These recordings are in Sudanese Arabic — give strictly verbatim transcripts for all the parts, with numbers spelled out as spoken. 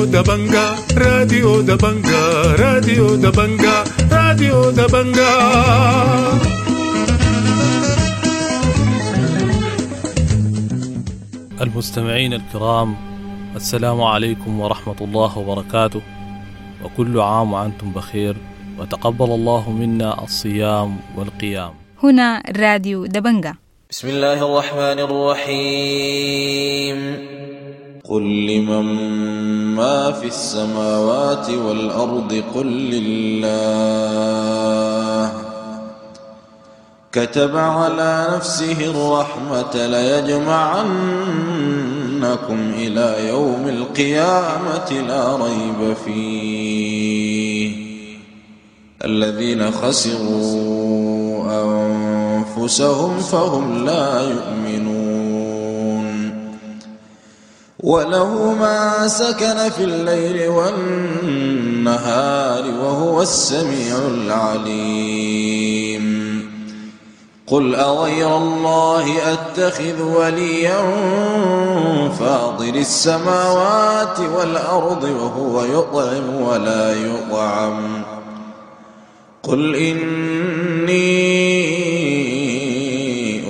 راديو دبنجا، راديو دبنجا، راديو دبنجا، راديو دبنجا. المستمعين الكرام، السلام عليكم ورحمة الله وبركاته، وكل عام وأنتم بخير، وتقبل الله منا الصيام والقيام. هنا راديو دبنجا. بسم الله الرحمن الرحيم. قل لمن ما في السماوات والأرض قل لله. كتب على نفسه الرحمة ليجمعنكم إلى يوم القيامة لا ريب فيه. الذين خسروا أنفسهم فهم لا يؤمنون. وله ما سكن في الليل والنهار وهو السميع العليم. قل أغير الله أتخذ وليا فاطر السماوات والأرض وهو يطعم ولا يطعم. قل إني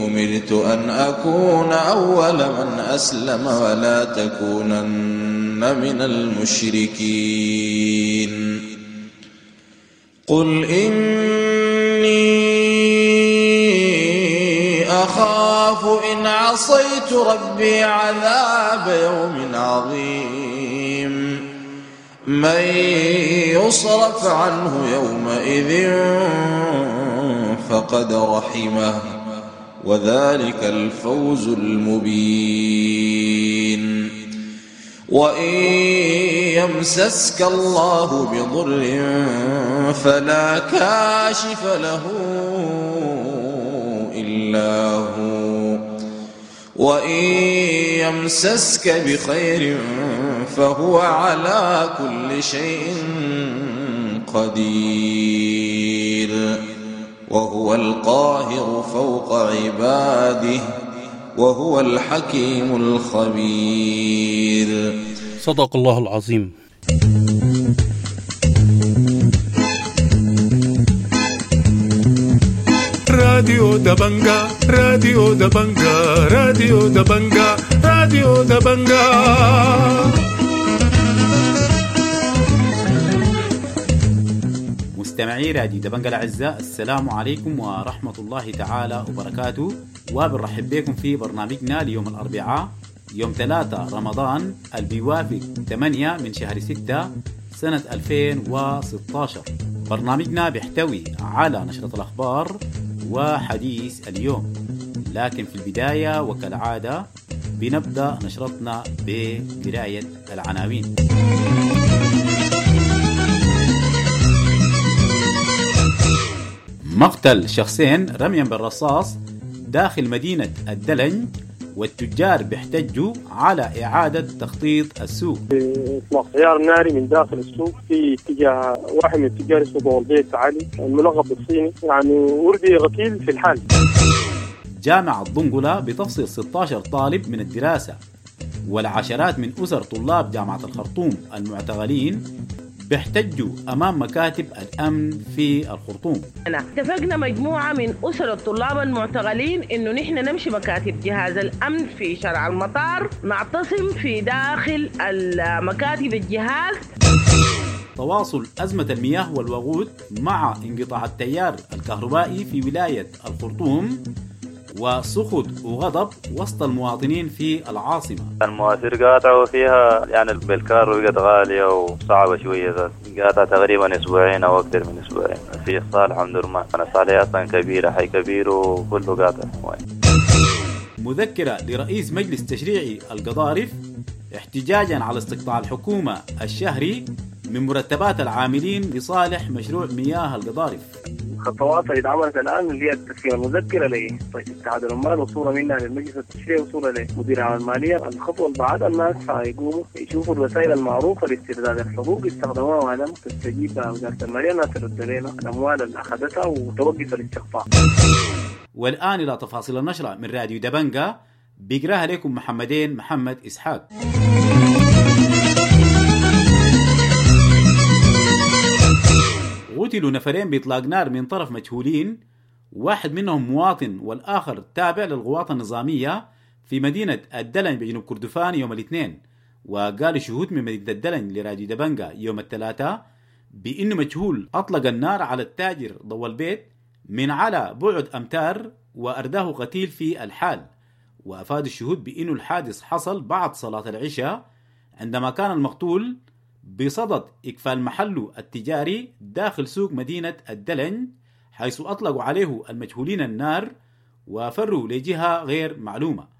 أمرت أن أكون أول من أسلم ولا تكونن من المشركين. قل إني أخاف إن عصيت ربي عذاب يوم عظيم. من يصرف عنه يومئذ فقد رحمه وذلك الفوز المبين. وإن يمسسك الله بضر فلا كاشف له إلا هو، وإن يمسسك بخير فهو على كل شيء قدير. وهو القاهر فوق عباده وهو الحكيم الخبير. صدق الله العظيم. راديو دبنجا، راديو دبنجا، راديو دبنجا، راديو دبنجا. مستمعي راديو دبنجا الأعزاء، السلام عليكم ورحمة الله تعالى وبركاته، وبنرحب بكم في برنامجنا ليوم الأربعاء يوم ثلاثة رمضان اللي بيوافق ثمانية من شهر ستة سنة ألفين وستة عشر. برنامجنا بيحتوي على نشرة الأخبار وحديث اليوم، لكن في البداية وكالعادة بنبدأ نشرتنا بقراية العناوين. مقتل شخصين رميا بالرصاص داخل مدينة الدلنج، والتجار بيحتجوا على إعادة تخطيط السوق. إطلاق عيار ناري من داخل السوق في اتجاه واحد من تجار سوق والبيت علي الملقب بالصيني، يعني وردي غسيل في الحال. جامعة دنقلة بتفصل ستة عشر طالب من الدراسة، والعشرات من أسر طلاب جامعة الخرطوم المعتقلين بيحتجوا أمام مكاتب الأمن في الخرطوم. اتفقنا مجموعة من أسر الطلاب المعتقلين إنه نحن نمشي مكاتب جهاز الأمن في شارع المطار، نعتصم في داخل مكاتب الجهاز. تواصل أزمة المياه والوقود مع انقطاع التيار الكهربائي في ولاية الخرطوم، وسخط وغضب وسط المواطنين في العاصمة. المواسير قاطعوا فيها، يعني بالكار بقت غالية وصعبة شوية، قاطعة تقريبا أسبوعين أو أكثر من أسبوعين. في صالح عبد الرحمن، أنا صالح أصلا كبيرة، حي كبير وكله قاطع. مذكرة لرئيس مجلس تشريعي القضارف احتجاجا على استقطاع الحكومة الشهري من مرتبات العاملين لصالح مشروع مياه القضارف. الخطوات اللي اتعملت الان اللي هي التسليم المذكره لاتحاد العمال وصوره منها للمجلس التشريعي وصوره لمدير عام الماليه. الخطوه اللي بعدها الناس حيقوموا يشوفوا الوسائل المعروفه لاسترداد الحقوق يستخدموها وعدم تستجيب وزاره الماليه انها ترد لنا الاموال اللي اخذتها وتوقف الاستقطاع. والان الى تفاصيل النشره من راديو دبنجا بيقراها لكم محمدين محمد اسحاق. قتلوا نفرين بإطلاق نار من طرف مجهولين، واحد منهم مواطن والآخر تابع للقوات النظامية في مدينة الدلنج بجنوب كردفان يوم الاثنين. وقال شهود من مدينة الدلنج لراديو دبنجا يوم الثلاثاء بأنه مجهول أطلق النار على التاجر ضوء البيت من على بعد أمتار وأرداه قتيل في الحال. وأفاد الشهود بأنه الحادث حصل بعد صلاة العشاء عندما كان المقتول بصدد إقفال محله التجاري داخل سوق مدينة الدلنج، حيث أطلقوا عليه المجهولين النار وفروا لجهة غير معلومة.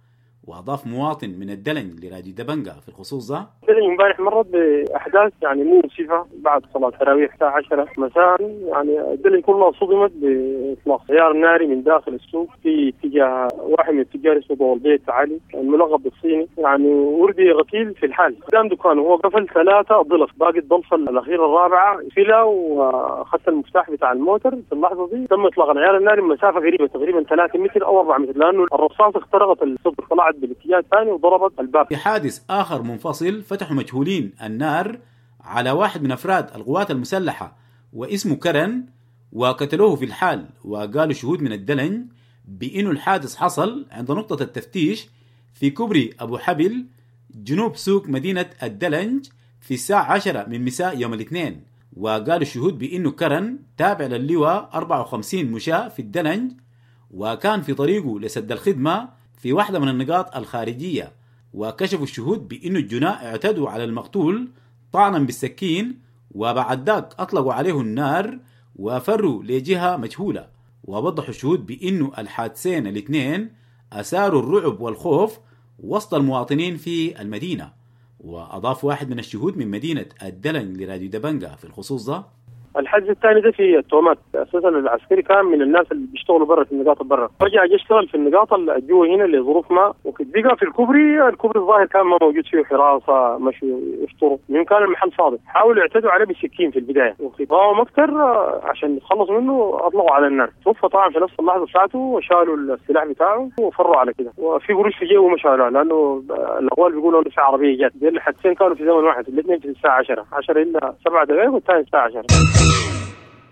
وأضاف مواطن من الدلنج لراديو دبنجا في الخصوص ده: الدلنج امبارح مرت بأحداث يعني مؤسفة بعد صلاة التراويح الساعة عشرة مساء، يعني الدلنج كلها صدمت بإطلاق عيار ناري من داخل السوق في اتجاه واحد من التجار اسمه ضوء البيت علي الملقب بالصيني، يعني وردي غتيل في الحال قدام دكانه. هو قفل ثلاثة ضلف، باقي الضلفة الأخيرة الرابعة فيلا وأخذت المفتاح بتاع الموتر. في اللحظة دي تم إطلاق العيار الناري مسافة قريبة تقريبا ثلاثة متر أو أربعة متر، لأنه الرصاص اخترقت الصدر، طلعت بالاتجاه الثاني وضربت الباب. في حادث آخر منفصل فتحوا مجهولين النار على واحد من أفراد القوات المسلحة واسمه كرن وقتلوه في الحال. وقالوا شهود من الدلنج بأنه الحادث حصل عند نقطة التفتيش في كوبري أبو حبل جنوب سوق مدينة الدلنج في الساعة عشرة من مساء يوم الاثنين. وقالوا الشهود بأنه كرن تابع للواء أربعة وخمسين مشاة في الدلنج وكان في طريقه لسد الخدمة في واحدة من النقاط الخارجية. وكشفوا الشهود بأن الجناء اعتدوا على المقتول طعنا بالسكين وبعد ذاك أطلقوا عليه النار وفروا لجهة مجهولة. ووضحوا الشهود بأنه الحادثين الاثنين أثاروا الرعب والخوف وسط المواطنين في المدينة. وأضاف واحد من الشهود من مدينة الدلنج لراديو دبنجا في الخصوص ده: الحجز الثاني ده في التومات، اساسا العسكري كان من الناس اللي بيشتغلوا برا في النقاط برا، رجع يشتغل في النقاط اللي جوا هنا لظروف ما وكده. بقى في الكوبري، الكوبري الظاهر كان ما موجود فيه حراسه، مشوا يفطروا، من كان المحل فاضي، حاولوا يعتدوا عليه بالسكين في البدايه وقاوم اكثر عشان يتخلصوا منه، اطلقوا على النار، توفى طبعا في نفس اللحظه بتاعته وشالوا السلاح بتاعه وفروا على كده، وفي قروش في جيبه ما شالوها لانه الاقوال بيقولوا انه في عربيه جت. دي الحادثتين كانوا في زمن واحد، الاثنين في الساعه عشرة عشرة الا سبع دقائق والثاني الساعه عشرة.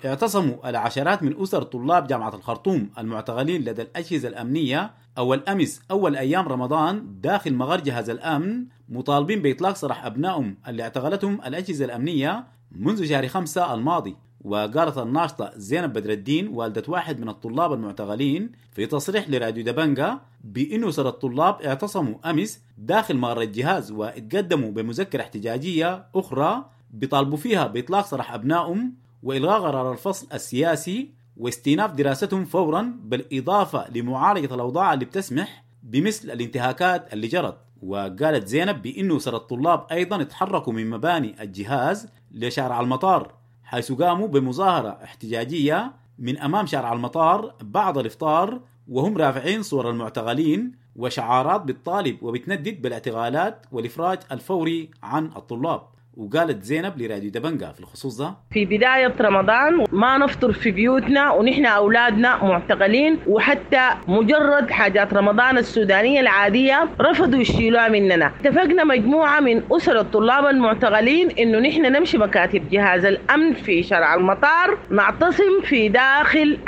اعتصموا العشرات من أسر طلاب جامعة الخرطوم المعتقلين لدى الأجهزة الأمنية أول أمس أول أيام رمضان داخل مغار جهاز الأمن مطالبين بإطلاق سراح أبنائهم اللي اعتقلتهم الأجهزة الأمنية منذ شهر خمسة الماضي. وقالت الناشطة زينب بدر الدين والدة واحد من الطلاب المعتقلين في تصريح لراديو دبنجا بأنه أسر الطلاب اعتصموا أمس داخل مغار الجهاز واتقدموا بمذكرة احتجاجية أخرى بيطالبوا فيها بإطلاق سراح أبنائهم وإلغاء قرار الفصل السياسي واستئناف دراستهم فورا، بالإضافة لمعالجة الأوضاع اللي بتسمح بمثل الانتهاكات اللي جرت. وقالت زينب بأنه أسر الطلاب أيضا اتحركوا من مباني الجهاز لشارع المطار، حيث قاموا بمظاهرة احتجاجية من أمام شارع المطار بعد الإفطار وهم رافعين صور المعتقلين وشعارات بالطالب وبتندد بالاعتقالات والإفراج الفوري عن الطلاب. وقالت زينب لراديو دبنجا في الخصوص ده: في بداية رمضان ما نفطر في بيوتنا ونحن أولادنا معتقلين، وحتى مجرد حاجات رمضان السودانية العادية رفضوا يشيلوها مننا. اتفقنا مجموعة من أسر الطلاب المعتقلين إنه نحن نمشي مكاتب جهاز الأمن في شارع المطار، نعتصم في داخل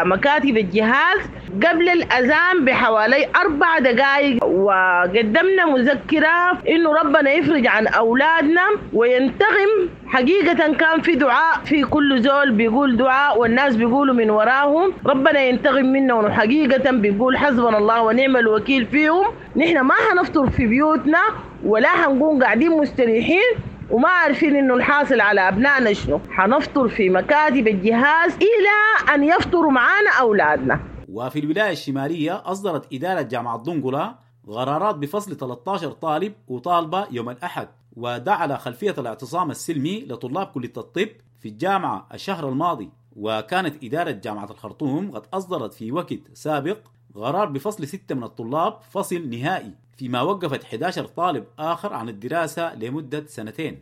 مكاتب الجهاز قبل الأذان بحوالي أربع دقائق، وقدمنا مذكرة إنه ربنا يفرج عن أولادنا وينتقم. حقيقة كان في دعاء، في كل زول بيقول دعاء والناس بيقولوا من وراهم ربنا ينتقم منهم، وحقيقة بيقول حسبنا الله ونعم الوكيل فيهم. نحن ما هنفطر في بيوتنا ولا هنقوم قاعدين مستريحين وما عارفين انه الحاصل على ابنائنا شنو، هنفطر في مكاتب الجهاز الى ان يفطروا معانا اولادنا. وفي الولاية الشمالية أصدرت إدارة جامعة دنقلة قرارات بفصل ثلاثة عشر طالب وطالبة يوم الأحد، ودعا على خلفية الاعتصام السلمي لطلاب كلية الطب في الجامعة الشهر الماضي. وكانت إدارة جامعة الخرطوم قد أصدرت في وقت سابق قرار بفصل ستة من الطلاب فصل نهائي، فيما وقفت أحد عشر طالب آخر عن الدراسة لمدة سنتين.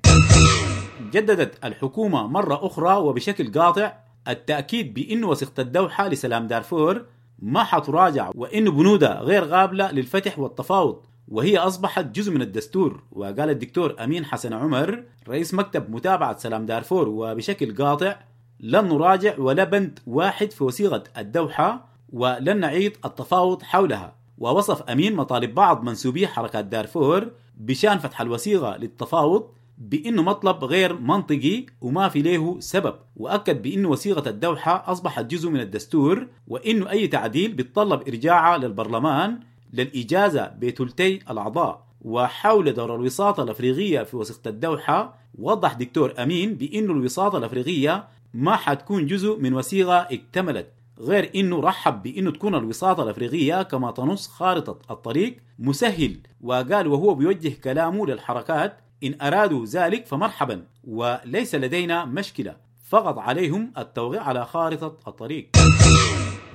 جددت الحكومة مرة أخرى وبشكل قاطع التأكيد بأن وثيقة الدوحة لسلام دارفور ما حتراجع، وإن بنودها غير قابلة للفتح والتفاوض، وهي أصبحت جزء من الدستور. وقال الدكتور أمين حسن عمر رئيس مكتب متابعة سلام دارفور وبشكل قاطع: لن نراجع ولا بند واحد في وثيقة الدوحة ولن نعيد التفاوض حولها. ووصف أمين مطالب بعض منسوبي حركات دارفور بشان فتح الوثيقة للتفاوض بأنه مطلب غير منطقي وما في له سبب، وأكد بأنه وثيقة الدوحة أصبحت جزء من الدستور، وأنه أي تعديل بيتطلب إرجاعها للبرلمان للإجازة بثلثي الأعضاء. وحول دور الوساطة الأفريقية في وثيقة الدوحة، وضح دكتور أمين بأنه الوساطة الأفريقية ما حتكون جزء من وثيقة اكتملت، غير أنه رحب بأنه تكون الوساطة الأفريقية كما تنص خارطة الطريق مسهل. وقال وهو بيوجه كلامه للحركات: إن أرادوا ذلك فمرحبا وليس لدينا مشكلة، فقط عليهم التوقيع على خارطة الطريق.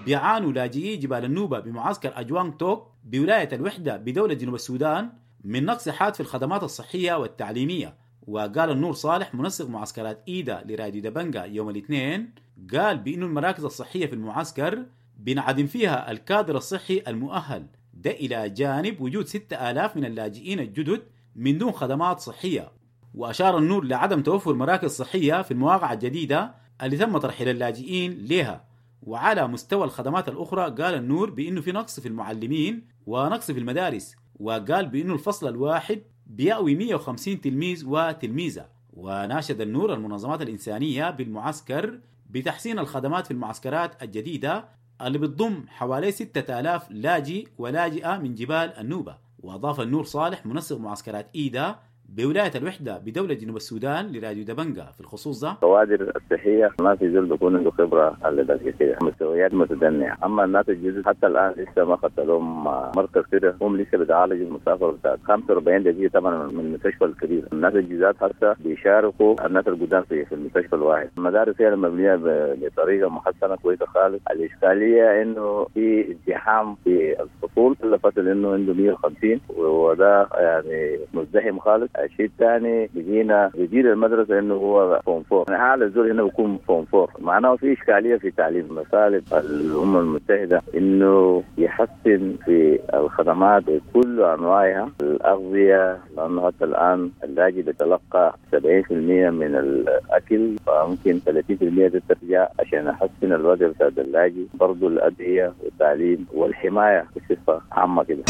بيعانوا لاجئي جبال النوبة بمعسكر أجوانغ توك بولاية الوحدة بدولة جنوب السودان من نقص حاد في الخدمات الصحية والتعليمية. وقال النور صالح منسق معسكرات إيدا لراديو دبنجا يوم الاثنين، قال بأن المراكز الصحية في المعسكر بنعدم فيها الكادر الصحي المؤهل، ده إلى جانب وجود ستة آلاف من اللاجئين الجدد من دون خدمات صحية. وأشار النور لعدم توفر مراكز صحية في المواقع الجديدة اللي تم ترحيل اللاجئين لها. وعلى مستوى الخدمات الأخرى قال النور بأنه في نقص في المعلمين ونقص في المدارس، وقال بأنه الفصل الواحد بيأوي مئة وخمسين تلميذ وتلميذة. وناشد النور المنظمات الإنسانية بالمعسكر بتحسين الخدمات في المعسكرات الجديدة اللي بتضم حوالي ستة آلاف لاجئ ولاجئة من جبال النوبة. وأضاف النور صالح منسق معسكرات إيدا بولاية الوحدة بدولة جنوب السودان لراديو دبنجا في الخصوص ده: الكوادر الصحية ما في زول بيكون عنده خبرة على ذلك كده، مستويات متدنية. أما الناس الجدد حتى الآن لسه ما خدت لهم مركز كده، هم لسه بيتعالجوا المسافة بتاعت خمسة وأربعين دقيقة طبعا من المستشفى الكبير. الناس الجداد حتى بيشاركوا الناس القدام في في المستشفى الواحد. المدارس هي مبنية بطريقة محسنة كويسة خالص. الإشكالية إنه في ازدحام في الفصول، كل فصل إنه عنده مئة وخمسين وده يعني مزدحم خالص. الشيء الثاني بيجينا بيجي المدرسة انه هو form four، يعني اعلى زول هنا بيكون form four، معناه في اشكالية في تعليم. مطالب الامم المتحدة انه يحسن في الخدمات بكل انواعها، الاغذية، لانه حتى الان اللاجئ بيتلقى سبعين بالمئة من الاكل، فممكن ثلاثين بالمئة ترجع عشان يحسن الوضع بتاع اللاجئ. برضه الادوية والتعليم والحماية بصفة عامة كده.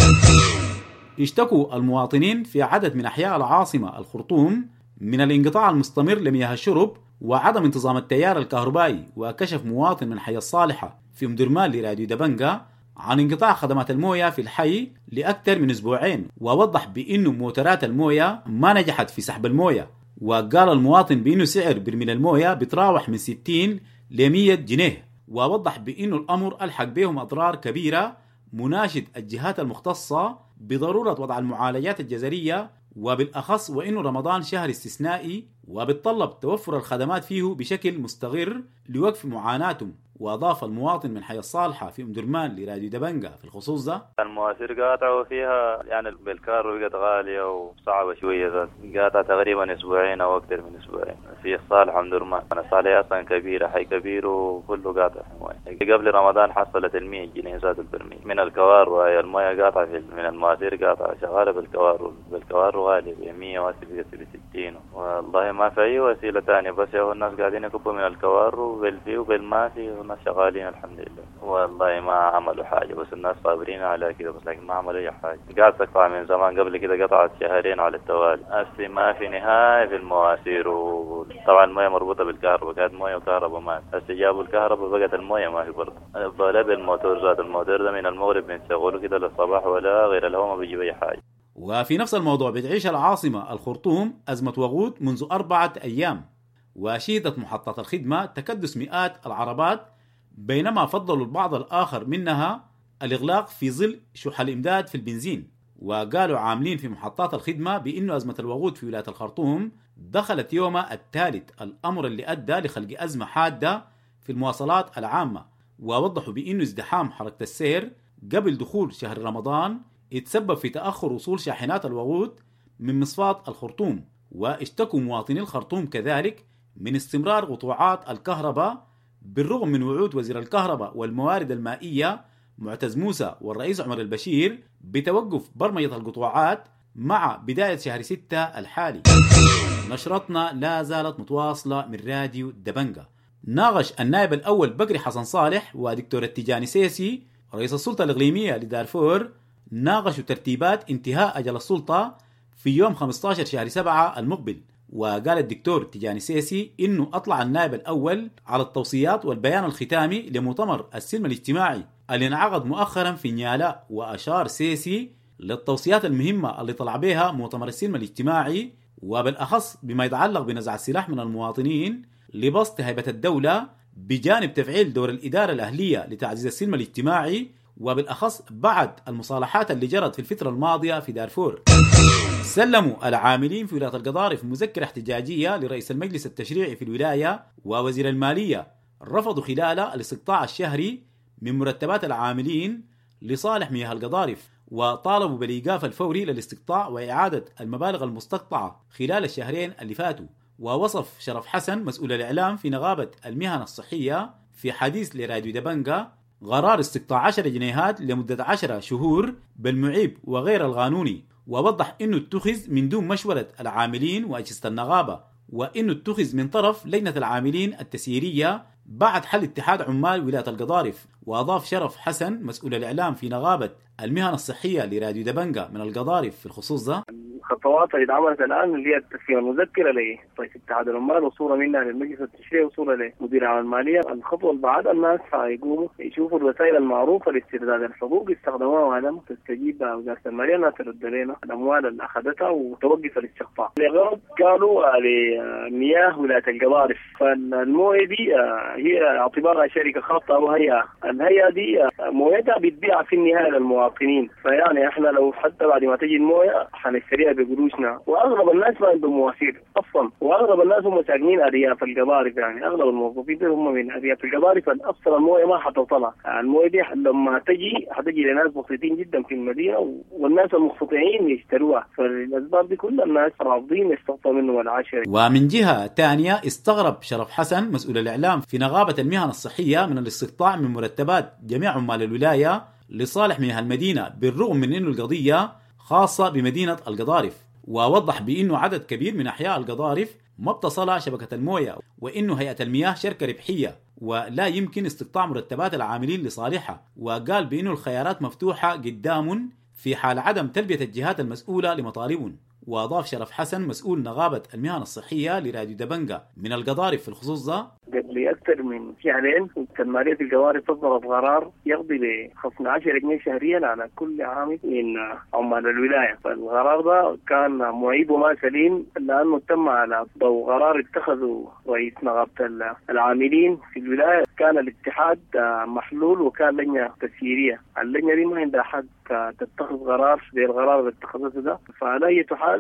اشتكوا المواطنين في عدد من أحياء العاصمة الخرطوم من الانقطاع المستمر لمياه الشرب وعدم انتظام التيار الكهربائي. وكشف مواطن من حي الصالحة في أم درمان لراديو دبنجا عن انقطاع خدمات الموية في الحي لأكثر من أسبوعين، ووضح بأنه موتورات الموية ما نجحت في سحب الموية. وقال المواطن بأنه سعر برميل الموية بتراوح من ستين ل مئة جنيه، ووضح بأنه الأمر ألحق بهم أضرار كبيرة، مناشد الجهات المختصة بضرورة وضع المعالجات الجزرية، وبالأخص وإنه رمضان شهر استثنائي وبتطلب توفر الخدمات فيه بشكل مستمر لوقف معاناتهم. وأضاف المواطن من حي الصالحة في أم درمان لراديو دبنجا في الخصوص ده: المواسير قاطعوا فيها يعني بالكار بقت غالية وصعبة شوية ذات، قاطعة تقريبا أسبوعين أو أكثر من أسبوعين في الصالحة أم درمان. أنا الصالحة أصلا كبيرة، حي كبير وكله قاطع موية. قبل رمضان حصلت المية جنيه ذات البرميل من الكوار، وهي الموية قاطعة في من المواسير قاطعة شغالة بالكوار، بالكوار غالي ب مئة وبقت ب ستين. والله ما في أي وسيلة ثانية، بس يا الناس قاعدين يكبوا من الكوار وبالفي وبالما في، والناس شغالين الحمد لله. والله ما عملوا حاجة، بس الناس صابرين على كده، بس لكن ما عملوا أي حاجة. قاعد تقطع من زمان، قبل كده قطعت شهرين على التوالي. أصلي ما في نهاية في المواسير، وطبعا الموية مربوطة بالكهرباء، كانت موية وكهرباء ما هسه جابوا الكهرباء بقت الموية ما في برضه. ولا بالموتور ذات الموتور ده من المغرب بنشغله كده للصباح، ولا غير الهواء ما بيجيب أي حاجة. وفي نفس الموضوع بتعيش العاصمة الخرطوم أزمة وقود منذ أربعة أيام، وشهدت محطات الخدمة تكدس مئات العربات، بينما فضلوا البعض الآخر منها الإغلاق في ظل شح الإمداد في البنزين. وقالوا عاملين في محطات الخدمة بأن أزمة الوقود في ولاية الخرطوم دخلت يومها الثالث، الأمر اللي أدى لخلق أزمة حادة في المواصلات العامة. ووضحوا بأن ازدحام حركة السير قبل دخول شهر رمضان يتسبب في تأخر وصول شاحنات الوقود من مصفاة الخرطوم. واشتكوا مواطني الخرطوم كذلك من استمرار قطوعات الكهرباء بالرغم من وعود وزير الكهرباء والموارد المائية معتز موسى والرئيس عمر البشير بتوقف برمجة القطوعات مع بداية شهر ستة الحالي. نشرتنا لا زالت متواصلة من راديو دبنجا. ناقش النائب الأول بكري حسن صالح ودكتور التجاني سيسي رئيس السلطة الإقليمية لدارفور ناقشوا ترتيبات انتهاء أجل السلطة في يوم خمسة عشر شهر سبعة المقبل. وقال الدكتور تجاني سيسي إنه أطلع النائب الأول على التوصيات والبيان الختامي لمؤتمر السلم الاجتماعي اللي انعقد مؤخرا في نيالا. وأشار سيسي للتوصيات المهمة اللي طلع بها مؤتمر السلم الاجتماعي، وبالأخص بما يتعلق بنزع السلاح من المواطنين لبسط هيبة الدولة، بجانب تفعيل دور الإدارة الأهلية لتعزيز السلم الاجتماعي، وبالأخص بعد المصالحات اللي جرت في الفترة الماضية في دارفور. سلموا العاملين في ولاية القضارف مذكرة احتجاجية لرئيس المجلس التشريعي في الولاية ووزير المالية، رفضوا خلال الاستقطاع الشهري من مرتبات العاملين لصالح مياه القضارف، وطالبوا بالإيقاف الفوري للاستقطاع وإعادة المبالغ المستقطعة خلال الشهرين اللي فاتوا. ووصف شرف حسن مسؤول الإعلام في نغابة المهن الصحية في حديث لراديو دبنجا قرار استقطاع عشرة جنيهات لمدة عشرة شهور بالمعيب وغير القانوني، ووضح أنه اتخذ من دون مشورة العاملين وأجهزة النغابة، وأنه اتخذ من طرف لجنة العاملين التسييرية بعد حل اتحاد عمال ولاية القضارف. وأضاف شرف حسن مسؤول الإعلام في نغابة المهن الصحية لراديو دبنجا من القضارف في الخصوص ده: الخطوات اللي اتعملت الان اللي هي التسليم المذكره لرئيس اتحاد العمال وصوره منها للمجلس التشريعي وصوره لمدير عام الماليه. الخطوه اللي بعدها الناس حيقوموا يشوفوا الوسائل المعروفه لاسترداد الحقوق يستخدموها، ولم تستجيب وزاره الماليه انها ترد لنا الاموال اللي اخذتها وتوقف الاستقطاع. لغرض قالوا لمياه ولايه القضارف، فالمويه دي هي اعتبارها شركه خاصه او هيئه، الهيئه دي مويتها بتبيع في النهايه للمواطنين، فيعني احنا لو حتى بعد ما تجي المويه حنشتريها بقروشنا. واغلب الناس ما عندهم مواسير اصلا، واغلب الناس هم ساكنين ارياف القضارف، يعني اغلب الموظفين هم من ارياف القضارف، اصلا المويه ما حتصلها. المويه دي لما تجي حتجي لناس بسيطين جدا في المدينه، والناس المستطيعين يشتروها، فالاسباب دي كل الناس رافضين يستقطعوا منه العشرة. ومن جهه ثانيه استغرب شرف حسن مسؤول الاعلام في نغابه المهن الصحيه من الاستقطاع من مرتبات جميع عمال الولايه لصالح مياه المدينه، بالرغم من انه القضيه خاصة بمدينة القضارف. ووضح بأنه عدد كبير من أحياء القضارف ما بتصلها شبكة الموية، وأنه هيئة المياه شركة ربحية ولا يمكن استقطاع مرتبات العاملين لصالحها. وقال بأنه الخيارات مفتوحة قدام في حال عدم تلبية الجهات المسؤولة لمطالبهم. وأضاف شرف حسن مسؤول نغابة المهن الصحية لراديو دبنجا من القضارف في الخصوص ده: قبل أكثر من شهرين المالية في القضارف صدرت قرار يقضي بخصم عشرة جنيه شهريا على كل عامل من عمال الولاية. فالقرار ده كان معيب وما سليم، لأنه تم على ضوء قرار اتخذه رئيس نغابة العاملين في الولاية. كان الاتحاد محلول وكان لجنة تسييرية، اللجنة دي ما عندها حق تتخذ قرار زي القرار اللي اتخذته ده. فعلى أي حال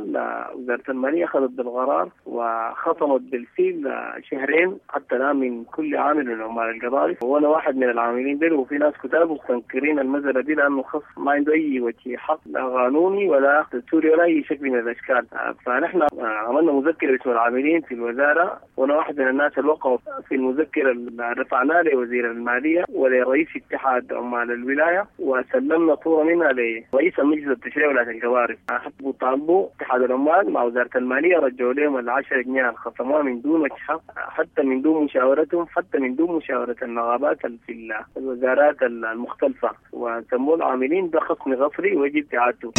وزارة المالية أخذت بالقرار وخصمت بالفيل شهرين حتى الآن من كل عامل من عمال القضارف، وأنا واحد من العاملين دول، وفي ناس كتاب مستنكرين المزرعة دي لأنه خصم ما عنده أي وجه حق لا قانوني ولا دستوري ولا أي شكل من الأشكال. فنحن عملنا مذكرة باسم العاملين في الوزارة، وأنا واحد من الناس اللي وقعوا في المذكرة اللي رفعناها لوزير المالية ولرئيس اتحاد عمال الولاية، وسلمنا صورة منها لرئيس المجلس التشريعي ولاية القضارف. حطوا طالبوا اتحاد العمال مع وزارة المالية رجعوا لهم العشرة جنيه اللي خصموها من دون وجه حق، حتى من دون مشاورتهم، حتى من دون مشاورة النغابات في الوزارات المختلفة، وسموه العاملين ده خصم غفري ويجب إعادته.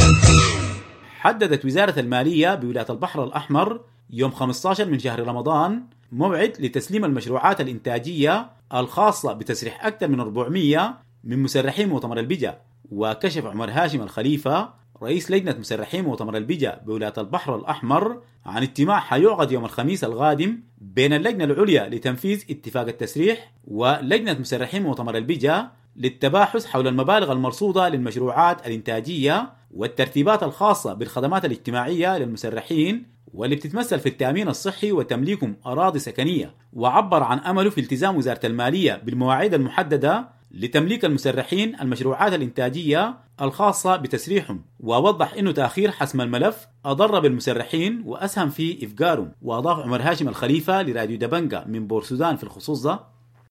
حددت وزارة المالية بولاية البحر الأحمر يوم خمسة عشر من شهر رمضان موعد لتسليم المشروعات الإنتاجية الخاصة بتسريح أكثر من أربعمئة من مسرحي مؤتمر البجا. وكشف عمر هاشم الخليفة رئيس لجنة مسرحي مؤتمر البجا بولاية البحر الأحمر عن اجتماع حيعقد يوم الخميس القادم بين اللجنة العليا لتنفيذ اتفاق التسريح ولجنة مسرحي مؤتمر البجا للتباحث حول المبالغ المرصودة للمشروعات الإنتاجية والترتيبات الخاصة بالخدمات الاجتماعية للمسرحين واللي بتتمثل في التأمين الصحي وتمليكهم أراضي سكنية. وعبر عن أمله في التزام وزارة المالية بالمواعيد المحددة لتمليك المسرحين المشروعات الإنتاجية الخاصة بتسريحهم، ووضح أنه تأخير حسم الملف أضر بالمسرحين وأسهم في إفقارهم. وأضاف عمر هاشم الخليفة لراديو دبنجا من بورسودان في الخصوص ده: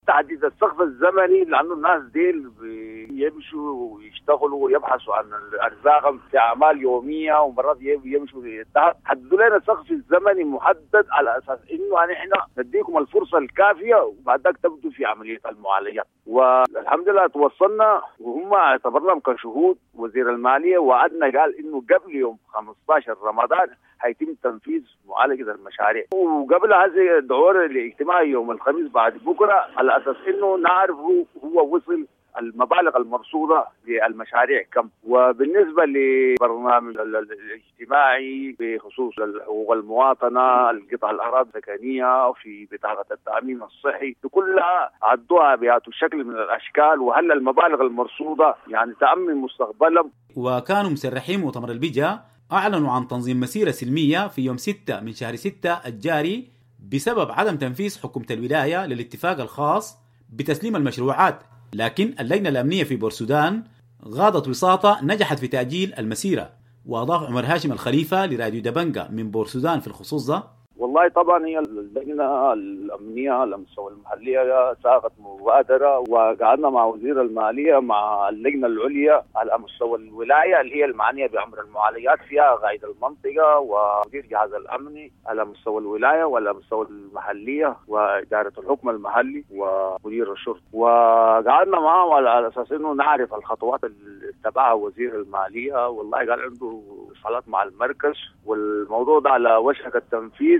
تحديد السقف الزمني لانه الناس ديل بيمشوا ويشتغلوا ويبحثوا عن ارزاقهم في اعمال يومية ومرات يمشوا للذهب. حددوا لنا السقف الزمني محدد على اساس انه نحن نديكم الفرصة الكافيه وبعد ذاك تبدوا في عملية المعالجات. والحمد لله توصلنا وهم اعتبرناهم كشهود. وزير المالية وعدنا قال انه قبل يوم خمسة عشر رمضان هيتم تنفيذ معالجة المشاريع، وقبل هذه الدعوة لاجتماع يوم الخميس بعد بكره على اساس انه نعرف هو وصل المبالغ المرصوده للمشاريع كم. وبالنسبة لبرنامج الاجتماعي بخصوص حقوق المواطنة، القطع الاراضي السكنية، في بطاقة التامين الصحي، كلها عدوها بهذا الشكل من الاشكال، وهل المبالغ المرصوده يعني تامن مستقبلهم. وكانوا مسرحين مؤتمر البجا أعلنوا عن تنظيم مسيرة سلمية في يوم ستة من شهر ستة الجاري بسبب عدم تنفيذ حكومة الولاية للاتفاق الخاص بتسليم المشروعات، لكن اللجنة الأمنية في بورسودان غاضت وساطة نجحت في تأجيل المسيرة. وأضاف عمر هاشم الخليفة لراديو دبنجا من بورسودان في الخصوص ده: والله طبعا هي اللجنة الامنية على مستوى المحلية ساقت مبادرة، وقعدنا مع وزير المالية مع اللجنة العليا على مستوى الولاية اللي هي المعنية بامر المعالجات فيها قائد المنطقة ومدير جهاز الامني على مستوى الولاية وعلى مستوى المحلية واداره الحكم المحلي ومدير الشرطة، وقعدنا معهم على اساس انه نعرف الخطوات اللي اتبعها وزير المالية. والله قال عنده اتصالات مع المركز والموضوع ده على وشك التنفيذ.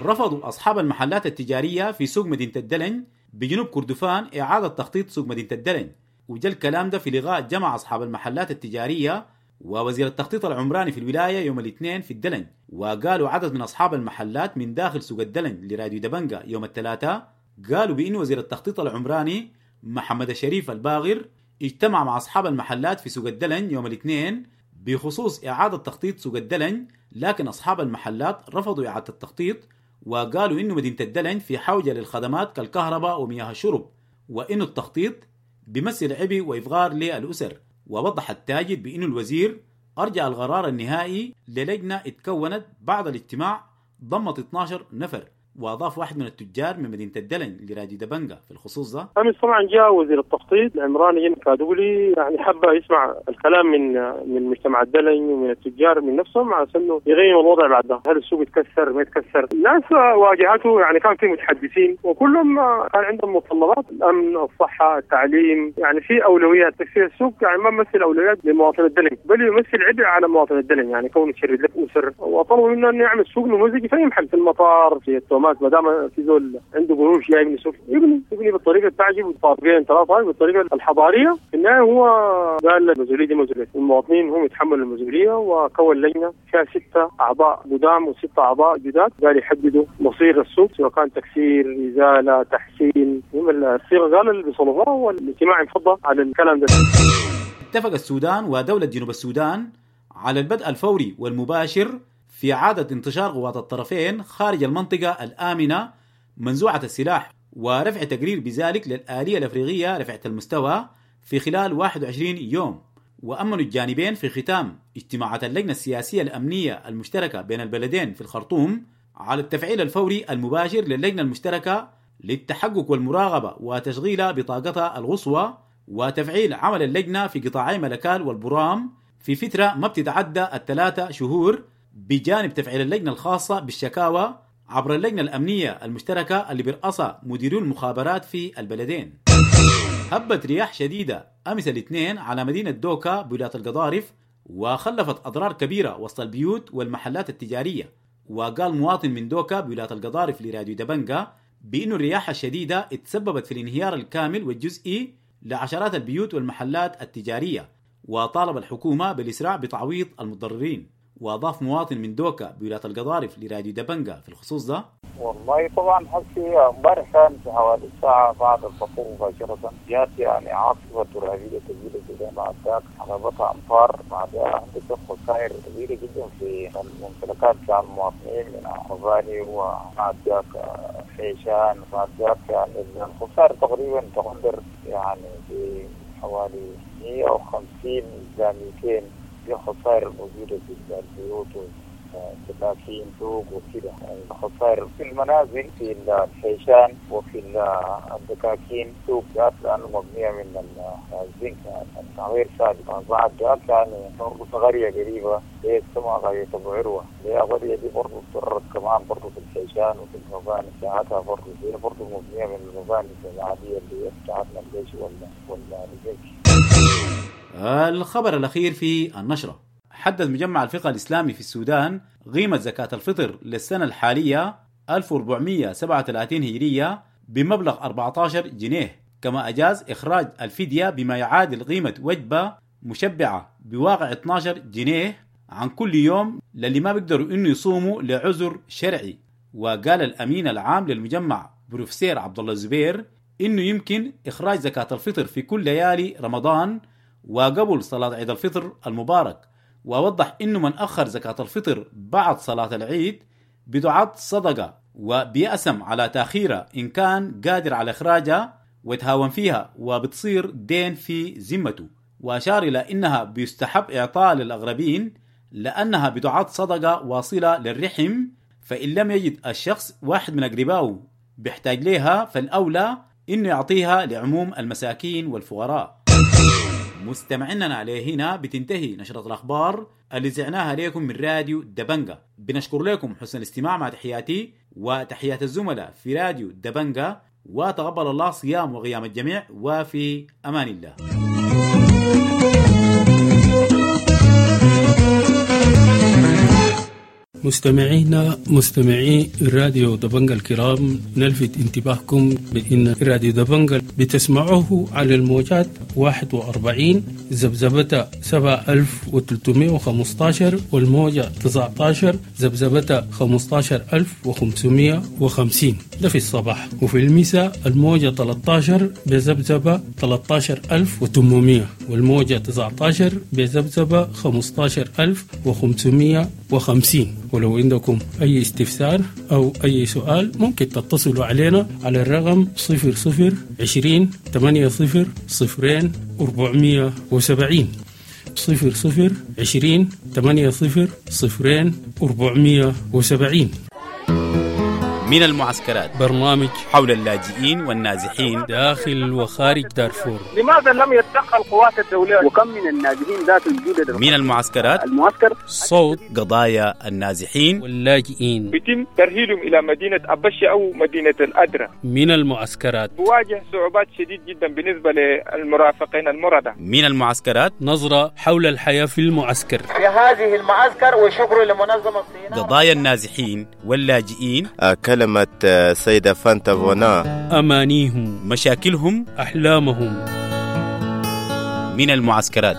رفضوا أصحاب المحلات التجارية في سوق مدينة الدلنج بجنوب كردفان إعادة تخطيط سوق مدينة الدلنج، وجا الكلام ده في لقاء جمع أصحاب المحلات التجارية ووزير التخطيط العمراني في الولاية يوم الاثنين في الدلنج. وقالوا عدد من أصحاب المحلات من داخل سوق الدلنج لراديو دبنجا يوم الثلاثاء، قالوا بأن وزير التخطيط العمراني محمد الشريف الباغر اجتمع مع أصحاب المحلات في سوق الدلنج يوم الاثنين بخصوص إعادة تخطيط سوق الدلنج، لكن أصحاب المحلات رفضوا إعادة التخطيط وقالوا إنه مدينة الدلنج في حوجة للخدمات كالكهرباء ومياه الشرب، وإنه التخطيط بيمثل عبء وإفغار للأسر. ووضح التاجر بإنه الوزير أرجع القرار النهائي للجنة اتكونت بعد الاجتماع ضمت اثنا عشر نفر. واضاف واحد من التجار من مدينة الدلنج لراديو دبنجا في الخصوص ده: امس طبعا جاء وزير التخطيط العمراني كادولي، يعني حب يسمع الكلام من من مجتمع الدلنج ومن التجار من نفسهم على انه يغيروا الوضع بعد ده، هل السوق يتكسر ما يتكسر؟ الناس واجهته، يعني كان في متحدثين وكلهم كان عندهم متطلبات، الامن، الصحة، التعليم، يعني في اولويات. تكسير السوق يعني ما يمثل اولويات لمواطن الدلنج، بل يمثل عبء على مواطن الدلنج، يعني كونه يشرد لك اسر. وطلبوا منه انه يعمل سوق نموذجي في اي محل، في المطار، في التومات، ما دام في زول عنده قروش جاي يبني سوق يبني يبني بالطريقة التعجب طابقين ثلاثة بالطريقة الحضارية. في النهاية هو قال المسؤولية دي مسؤولية المواطنين، هم يتحملوا المسؤولية، وكون لجنة فيها ستة اعضاء قدام وستة اعضاء جداد قال يحددوا مصير السوق، سواء كان تكسير، ازالة، تحسين. المهم الصيغة قال اللي بيصلوها، والاجتماع انفضى على الكلام ده. اتفق السودان ودولة جنوب السودان على البدء الفوري والمباشر في إعادة انتشار قوات الطرفين خارج المنطقة الآمنة منزوعة السلاح، ورفع تقرير بذلك للآلية الأفريقية رفعة المستوى في خلال واحد وعشرين يوم. وأمنوا الجانبين في ختام اجتماعات اللجنة السياسية الأمنية المشتركة بين البلدين في الخرطوم على التفعيل الفوري المباشر للجنة المشتركة للتحقق والمراقبة وتشغيل بطاقتها القصوى، وتفعيل عمل اللجنة في قطاعي ملكال والبرام في فترة ما بتتعدى الثلاثة شهور، بجانب تفعيل اللجنة الخاصة بالشكاوى عبر اللجنة الأمنية المشتركة اللي برأسها مديرو المخابرات في البلدين. هبت رياح شديدة أمس الاثنين على مدينة دوكا بولاية القضارف وخلفت أضرار كبيرة وسط البيوت والمحلات التجارية. وقال مواطن من دوكا بولاية القضارف لراديو دبنجا بأن الرياح الشديدة اتسببت في الانهيار الكامل والجزئي لعشرات البيوت والمحلات التجارية، وطالب الحكومة بالإسراع بتعويض المتضررين. واضاف مواطن من دوكا بولاية القضارف لراديو دبنجا في الخصوص ده: والله طبعا حسي امبارح كان في حوالي الساعة بعد الفطور مباشرة جات يعني عاصفة ترابية كبيرة جدا، بعد ذاك حلبتها أمطار، بعدها حدثت خسائر كبيرة جدا في الممتلكات بتاع المواطنين من مباني وبعد ذاك حيشان، بعد ذاك يعني الخسائر تقريبا تقدر يعني بحوالي مية وخمسين إلى مئتين، دي خسائر موجودة في البيوت. دكاكين سوق وكده، يعني خسائر في المنازل في الحيشان وفي الدكاكين سوق ذات لأنه مبنية من الزنك يعني غير ثابت. بعد ذاك يعني برضه في قرية قريبة هي اسمها قرية أبو عروة، هي قرية دي برضه اضطرت كمان برضه في الحيشان وفي المباني بتاعتها برضه هي برضه مبنية من المباني العادية اللي هي بتاعتنا الجيش ولا ولا الزنك. الخبر الأخير في النشرة: حدد مجمع الفقه الإسلامي في السودان قيمة زكاة الفطر للسنة الحالية ألف وأربعمائة وسبعة وثلاثين هجرية بمبلغ أربعة عشر جنيه، كما أجاز إخراج الفدية بما يعادل قيمة وجبة مشبعة بواقع اثني عشر جنيه عن كل يوم للي ما بيقدروا إنه يصوموا لعذر شرعي. وقال الأمين العام للمجمع بروفيسور عبد الله الزبير إنه يمكن إخراج زكاة الفطر في كل ليالي رمضان وقبل صلاة عيد الفطر المبارك، ووضح إنه من أخر زكاة الفطر بعد صلاة العيد بتعد صدقة وبيأسم على تأخيرها إن كان قادر على إخراجها ويتهاون فيها وبتصير دين في ذمته. وأشار إلى إنها بيستحب إعطاء للأغربين لأنها بتعد صدقة واصلة للرحم، فإن لم يجد الشخص واحد من أقربائه بيحتاج لها فالأولى إنه يعطيها لعموم المساكين والفقراء. مستمعينا عليه هنا بتنتهي نشرة الأخبار اللي زعناها لكم من راديو دبنجا. بنشكر لكم حسن الاستماع، مع تحياتي وتحيات الزملاء في راديو دبنجا، وتقبل الله صيام وقيام الجميع، وفي أمان الله. مستمعينا مستمعي راديو دبنجا الكرام، نلفت انتباهكم بأن راديو دبنجا بتسمعوه على الموجات واحد وأربعين ذبذبة سبعة آلاف وثلاثمائة وخمسة عشر والموجة تسعة عشر ذبذبة خمسة عشر ألف وخمسمائة وخمسين، ده في الصباح، وفي المساء الموجة ثلاثة عشر بذبذبة ثلاثة عشر ألف وثمانمائة والموجة تسعة عشر بذبذبة خمسة عشر ألف وخمسمائة وخمسين. ولو عندكم أي استفسار أو أي سؤال ممكن تتصلوا علينا على الرقم صفر صفر عشرين ثمانية صفر صفرين أربعمية وسبعين، صفر صفر عشرين ثمانية صفر صفرين أربعمية وسبعين. من المعسكرات، برنامج حول اللاجئين والنازحين داخل وخارج دارفور. لماذا لم يتدخل قوات الدولة؟ وكم من النازحين ذات الجدد من المعسكرات؟ المعسكر صوت قضايا النازحين واللاجئين، بيتم ترهيلهم إلى مدينة أبشة أو مدينة الأدرة. من المعسكرات بواجه صعوبات شديد جدا بالنسبة للمرافقين المرضى. من المعسكرات نظرة حول الحياة في المعسكر، في هذه المعسكر، وشكر لمنظمة الصين. قضايا النازحين واللاجئين، كلمة سيدة فانتا فونا، أمانيهم، مشاكلهم، أحلامهم. من المعسكرات.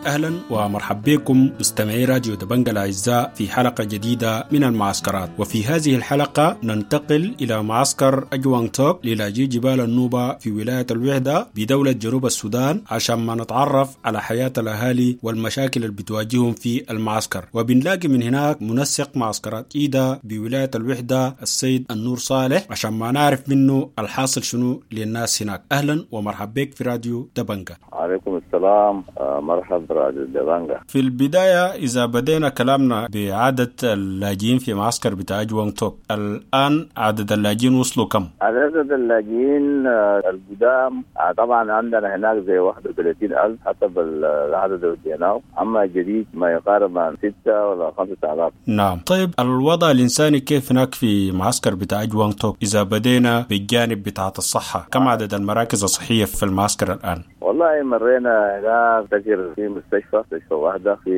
أهلا ومرحبا بكم مستمعي راديو دبنجا الأعزاء في حلقة جديدة من المعسكرات. وفي هذه الحلقة ننتقل إلى معسكر أجوانغ توك للاجئي جبال النوبة في ولاية الوحدة بدولة جنوب السودان، عشان ما نتعرف على حياة الأهالي والمشاكل اللي بتواجههم في المعسكر. وبنلاقي من هناك منسق معسكرات إيدا بولاية الوحدة السيد النور صالح، عشان ما نعرف منه الحاصل شنو للناس هناك. أهلا ومرحبا بك في راديو دبنجا. عليكم السلام، مرحبا راديو دبنجا. في البداية إذا بدينا كلامنا بعدد اللاجئين في معسكر بتاع أجوانغ توك، الآن عدد اللاجئين وصلوا كم؟ عدد اللاجئين القدام طبعا عندنا هناك زي واحد وثلاثين ألف حسب العدد اللي وديناه، أما الجديد ما يقارب عن ستة ولا خمسة آلاف. نعم. طيب الوضع الإنساني كيف هناك في معسكر بتاع أجوانغ توك؟ إذا بدينا بالجانب بتاعة الصحة، كم عدد المراكز الصحية في المعسكر الآن؟ والله مرينا هناك تجر في مستشفى مستشفى واحدة في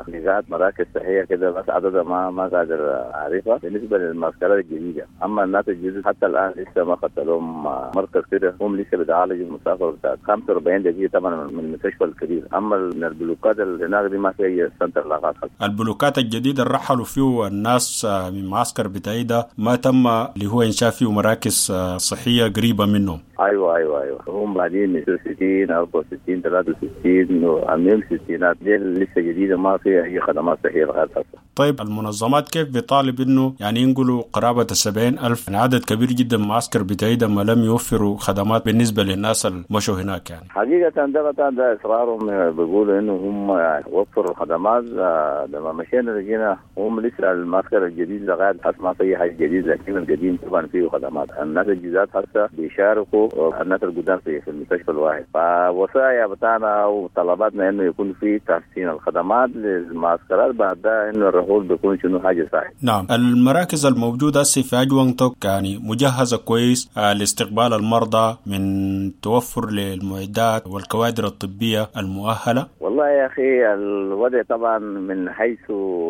نزاعات مراكز صحية كده، بس عددها ما ما قادر أعرفها بالنسبة للمعسكرات الجديدة. أما الناس الجديدة حتى الآن لسه ما خدت لهم مركز كده، هم لسه بيتعالجوا المسافة بتاعت خمسة وأربعين دقيقة طبعا من المستشفى الكبير. أما من البلوكات اللي هناك دي ما في أي center لاغات. البلوكات الجديدة اللي رحلوا فيه الناس من معسكر بتاعي ما تم اللي هو إنشاء فيه مراكز صحية قريبة منهم. ايوه ايوه ايوه هم بعدين ستين أربعة وستين ثلاثة وستين وعاملين ستينات دي لسه جديده ما فيها اي خدمات صحيه لغايه هسه. طيب المنظمات كيف بيطالب إنه يعني ينقلوا قرابة السبعين ألف، يعني عدد كبير جدا معسكر بتاعي ما لم يوفروا خدمات بالنسبة للناس اللي مشوا هناك يعني؟ حقيقة ده ده إصرارهم، بيقولوا إنه هم يعني وفروا خدمات. لما مشينا لقينا هم لسه المعسكر الجديد لغاية حتى ما في حاجة جديد، لكن القديم طبعا فيه خدمات. الناس الجداد حتى بيشاركوا الناس القدام في في المستشفى الواحد. فوصايا بتاعنا وطلباتنا إنه يكون في تحسين الخدمات للمعسكرات، بعد ده إنه الرحول بيكون شنو حاجة صحيح. نعم، المراكز الموجودة في أجوانغ توك يعني مجهزة كويس لاستقبال المرضى من توفر للمعدات والكوادر الطبية المؤهلة؟ والله يا أخي الوضع طبعا من حيث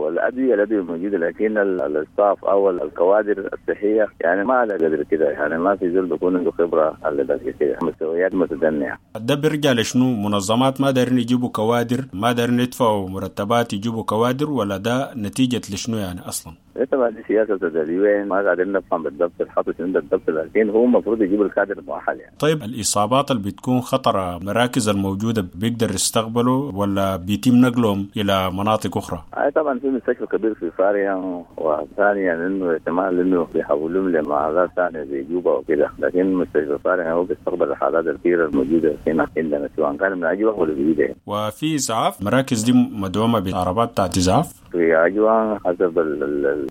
الأدوية، الأدوية موجودة، لكن الستاف أو الكوادر الصحية يعني ما على قدر كده، يعني ما في زول بيكون عنده خبرة على قدر كده، مستويات متدنية. ده بيرجع لشنو؟ منظمات ما دارين يجيبوا كوادر، ما دارين يدفعوا مرتبات يجيبوا كوادر، ولا ده نتيجة لشنو يعني أصلا؟ طبعا دي سياسة تدريبية ما قاعدين نفهم بالضبط الحط شنو بالضبط، لكن هو المفروض يجيب الكادر المؤهل يعني. طيب الإصابات اللي بتكون خطرة، المراكز الموجودة بيقدر يستقبلوا ولا بيتم نقلهم إلى مناطق أخرى؟ أي طبعا في مستشفى كبير في فاريا، وثانيا إنه احتمال إنه بيحولوهم لمعادات ثانية زي جوبا وكده، لكن مستشفى فاريا هو بيستقبل الحالات الكثيرة الموجودة هنا عندنا سواء كان من أجوان ولا جديدة. وفي إسعاف، المراكز دي مدعومة بعربات بتاعت إسعاف؟ في أجوان حسب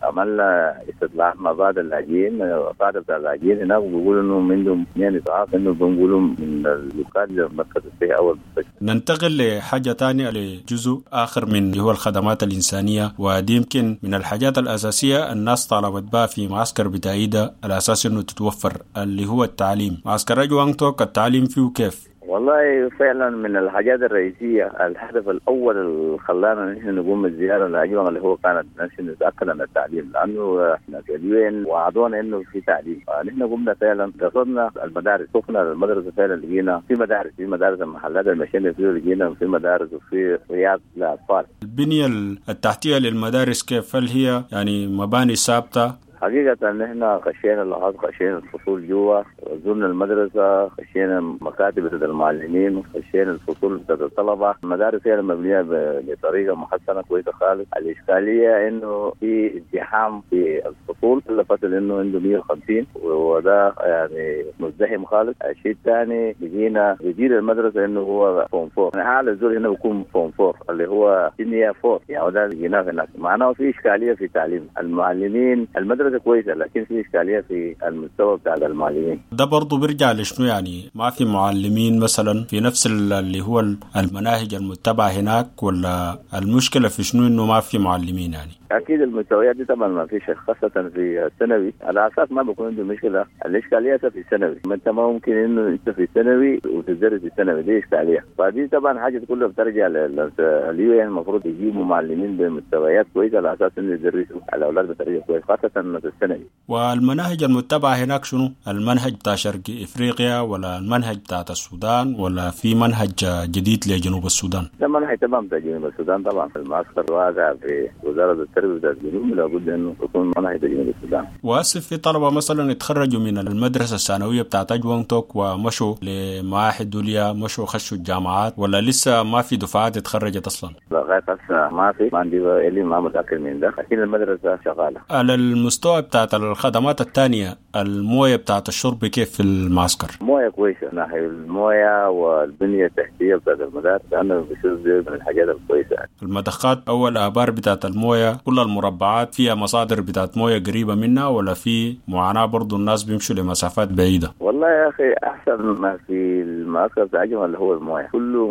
عملنا استطلاع مع بعض اللاجئين، بعض بتاع اللاجئين هناك بيقولوا انهم عندهم اثنين اسعاف، انه بنقولوا من اللوكال للمركز الصحي او المستشفى. ننتقل لحاجة ثانية، لجزء اخر من اللي هو الخدمات الانسانية، ودي يمكن من الحاجات الاساسية الناس طالبت بها في معسكر بتاعيدة الاساس انه تتوفر، اللي هو التعليم. معسكر أجوانغ توك التعليم فيه كيف؟ والله فعلا من الحاجات الرئيسية، الهدف الأول اللي خلانا نحن نقوم بالزيارة لأجوانغ اللي هو كانت نحن نتأكد من التعليم، لأنه احنا في اليو وعدونا إنه في تعليم. نحن قمنا فعلا قصدنا المدارس، شفنا المدرسة فعلا لقينا في مدارس، في مدارس المحلات اللي مشينا فيه لقينا في مدارس وفي رياض للأطفال. البنية التحتية للمدارس كيف؟ هل هي يعني مباني ثابتة؟ حقيقة نحن خشينا اللحظات، خشينا الفصول جوا، زرنا المدرسة، خشينا مكاتب بتاعت المعلمين، خشينا الفصول بتاعت الطلبة. المدارس هي مبنية بطريقة محسنة كويسة خالص. الإشكالية إنه في ازدحام في الفصول، كل فصل إنه عنده مية وخمسين، وده يعني مزدحم خالص. الشيء الثاني بقينا بيدير المدرسة إنه هو form four، يعني أعلى زول هنا بيكون form four اللي هو senior four، يعني ده لقيناه هناك. معناه في إشكالية في تعليم المعلمين. المدرسة كويسة لكن في إشكالية في المستوى بتاع المعلمين. ده برضو بيرجع لشنو يعني؟ ما في معلمين مثلا في نفس اللي هو المناهج المتبعة هناك، ولا المشكلة في شنو إنه ما في معلمين يعني؟ أكيد المستويات دي طبعا ما فيش، خاصة في الثانوي على أساس ما بيكون عنده مشكلة. الإشكالية في الثانوي، ما أنت ما ممكن إنه أنت في الثانوي وتدرس في الثانوي، دي إشكالية. فدي طبعا حاجة كلها بترجع لل UN، المفروض يجيبوا معلمين بمستويات كويسة على أساس إنه يدرسوا الأولاد بطريقة كويسة خاصة في الثانوي. والمناهج المتبعة هناك شنو؟ المنهج بتاع شرق إفريقيا ولا المنهج بتاع السودان ولا في منهج جديد لجنوب السودان؟ ده منهج تمام بتاع جنوب السودان طبعا. المعسكر واقع في وزارة التربية بتاع الجنوب، لابد انه يكون منهج جنوب السودان. واسف في طلبة مثلا يتخرجوا من المدرسة الثانوية بتاعت أجوانغ توك ومشوا لمعاهد دولية، مشوا خشوا الجامعات، ولا لسه ما في دفعات اتخرجت اصلا؟ لغاية هسه ما في، ما عندي اللي ما متأكد من ده، لكن المدرسة شغالة. على المستوى بتاعت الخدمات الثانية، الموية بتاعت الشرب كيف في المعسكر؟ موية كويسة، ناحية الموية والبنية التحتية بتاعت المدارس أنا بشوف دي من الحاجات الكويسة. المضخات أو الآبار بتاعت الموية، كل المربعات فيها مصادر بتاعت موية قريبة منها ولا في معاناة برضو الناس بيمشوا لمسافات بعيدة؟ والله يا أخي أحسن ما في المعسكر بتاع أجمل اللي هو الموية، كله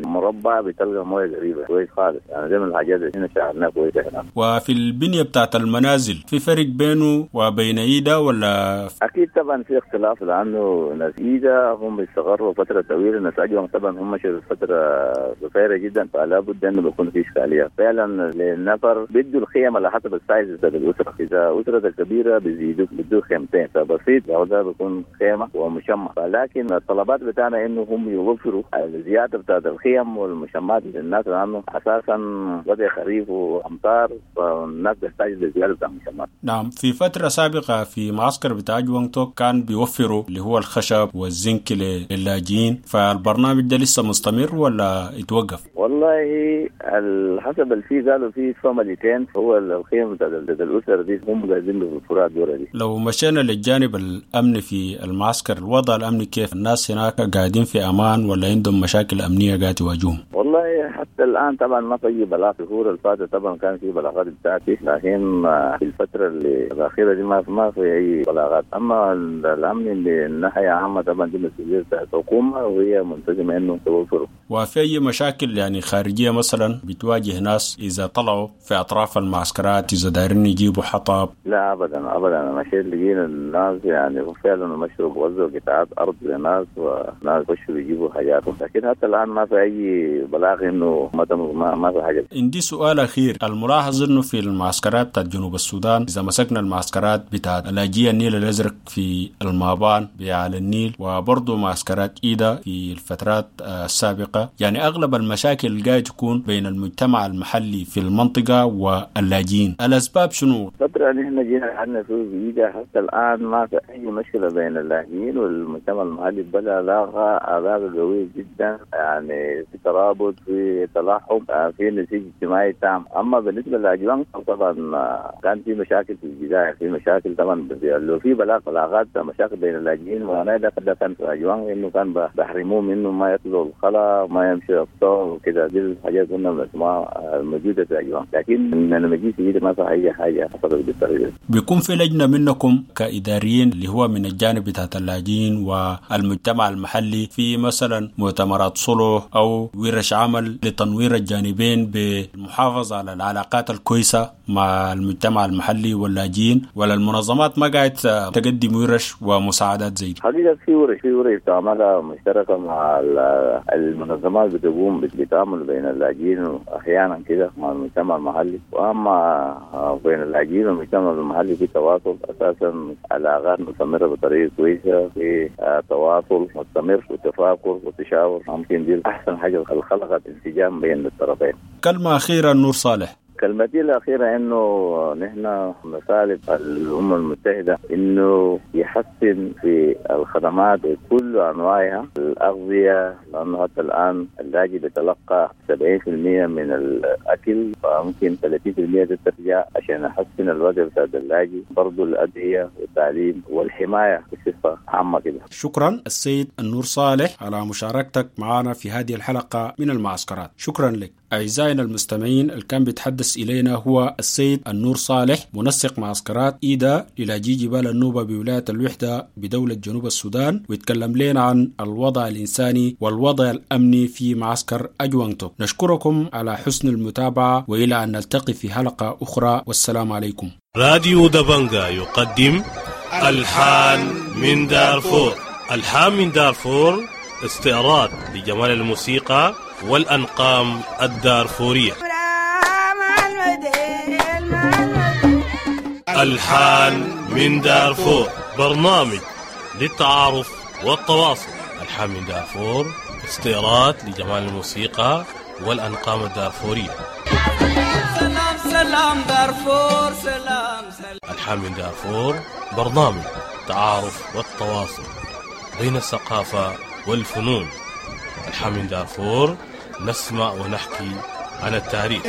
مربع بتلقى موية قريبة كويس خالص، يعني زي من الحاجات اللي هنا شعرناها كويسة هنا. وفي البنية بتاعت المنازل في فرق بينه وبين إيدا ولا؟ أكيد طبعا في اختلاف، لأنه ناس إيدا هم بيستغروا فترة طويلة، ناس أجوان طبعا هم مشوا فترة قصيرة جدا، فلا بد أنه بيكون في إشكالية فعلا. للنفر بيدوا الخيم على حسب ال size بتاع الأسرة، إذا أسرة كبيرة بيزيدوا بيدوا خيمتين، فبسيط لو ده بيكون خيمة ومشمع. فلكن الطلبات بتاعنا إنه هم يوفروا الزيادة بتاعت الخيم والمشمعات للناس، لأنه أساسا وضع خريف وأمطار فالناس بتحتاج لزيادة بتاع المشمعات. نعم. نعم، في فترة سابقة في معسكر بتاع أجوانج توك كان بيوفروا اللي هو الخشب والزنك للاجئين، فالبرنامج ده لسه مستمر ولا يتوقف؟ والله حسب اللي فيه قالوا في فاميلتين هو الخيم بتاع الأسر دي هم قاعدين بالفروع الدورة دي. لو مشينا للجانب الأمني في المعسكر، الوضع الأمني كيف؟ الناس هناك قاعدين في أمان ولا عندهم مشاكل أمنية قاعد تواجههم؟ والله حتى الآن طبعا ما في بلاغ. في الشهور اللي فاتت طبعا كان في بلاغات بتاعتي، لكن في الفترة اللي الأخيرة دي ما ما في أي بلاغات. أما الأمن اللي الناحية عامة طبعا دي مسؤولية بتاعت الحكومة وهي ملتزمة إنه توفره. وفي أي مشاكل يعني خارجية مثلا بتواجه ناس إذا طلعوا في أطراف المعسكرات، إذا دايرين يجيبوا حطب؟ لا أبدا أبدا، أنا مشيت لقينا الناس يعني فعلا مشوا بوزعوا قطعات أرض لناس وناس خشوا بيجيبوا حاجاتهم، لكن حتى الآن ما في أي بلاغ إنه ما ما في حاجة. عندي سؤال أخير، الملاحظ إنه في المعسكرات بتاعت جنوب السودان، إذا مسكنا المعسكرات بتاعت لاجئي النيل الأزرق في المابان على النيل، وبرضه معسكرات إيدا في الفترات السابقة، يعني أغلب المشاكل اللي قاعد تكون بين المجتمع المحلي في المنطقة واللاجئين، الأسباب شنو؟ الفترة اللي احنا جينا قعدنا في إيدا حتى الآن ما في أي مشكلة بين اللاجئين والمجتمع المحلي، بل علاقة علاقة قوية جدا، يعني في ترابط، في تلاحم، في نسيج اجتماعي تام. أما بالنسبة للأجوان طبعا كان في مشاكل في البداية، في مشاكل طبعا لو في بلاغ بلاغات مشاكل بين اللاجئين، وأنا ده كان في أجوان إنه كان بحرموهم إنه ما يطلعوا الخلا، ما يمشوا الصور وكده، دي الحاجات كنا بنسمعها الموجودة في أجوان، لكن لما جيت جيت ما في أي حاجة حصلت بالطريقة. بيكون في لجنة منكم كإداريين اللي هو من الجانب بتاع اللاجئين والمجتمع المحلي في مثلا مؤتمرات صلح أو ورش عمل لتنوير الجانبين بالمحافظة على العلاقات الكويسة مع المجتمع المحلي واللاجئين، ولا المنظمات ما قاعد تقدم ورش ومساعدات زي دي؟ حقيقة في ورش في ورش تعملها مشتركة مع المنظمات بتقوم بتعامل بين اللاجئين أحيانا كده مع المجتمع المحلي، وأما بين اللاجئين والمجتمع المحلي في تواصل أساسا، علاقات مستمرة بطريقة كويسة، في تواصل مستمر وتفاكر وتشاور، ممكن دي أحسن حاجة خلقت انسجام بين الطرفين. كلمة أخيرة نور صالح. كلمتي الأخيرة إنه نحن نطالب الأمم المتحدة إنه يحسن في الخدمات بكل أنواعها، الأغذية، لأنه حتى الآن اللاجئ بيتلقى سبعين بالمئة من الأكل، فممكن ثلاثين بالمئة ترجع عشان يحسن الوضع بتاع اللاجئ، برضو الأدوية والتعليم والحماية بصفة عامة كده. شكرا السيد النور صالح على مشاركتك معنا في هذه الحلقة من المعسكرات، شكرا لك. أعزائنا المستمعين، اللي كان بيتحدث إلينا هو السيد النور صالح، منسق معسكرات إيدا للاجئي جبال النوبة بولاية الوحدة بدولة جنوب السودان، ويتكلم لنا عن الوضع الإنساني والوضع الأمني في معسكر أجوانج توك. نشكركم على حسن المتابعة، وإلى أن نلتقي في حلقة أخرى، والسلام عليكم. راديو دبنجا يقدم ألحان من دارفور. ألحان من دارفور استعراض لجمال الموسيقى والأنقام الدارفورية. ألحان من دارفور برنامج للتعارف والتواصل. ألحان من دارفور استعراض لجمال الموسيقى والأنقام الدارفورية. سلام سلام دارفور سلام سلام. ألحان من دارفور برنامج التعارف والتواصل بين الثقافة والفنون. ألحان من دارفور نسمع ونحكي عن التاريخ.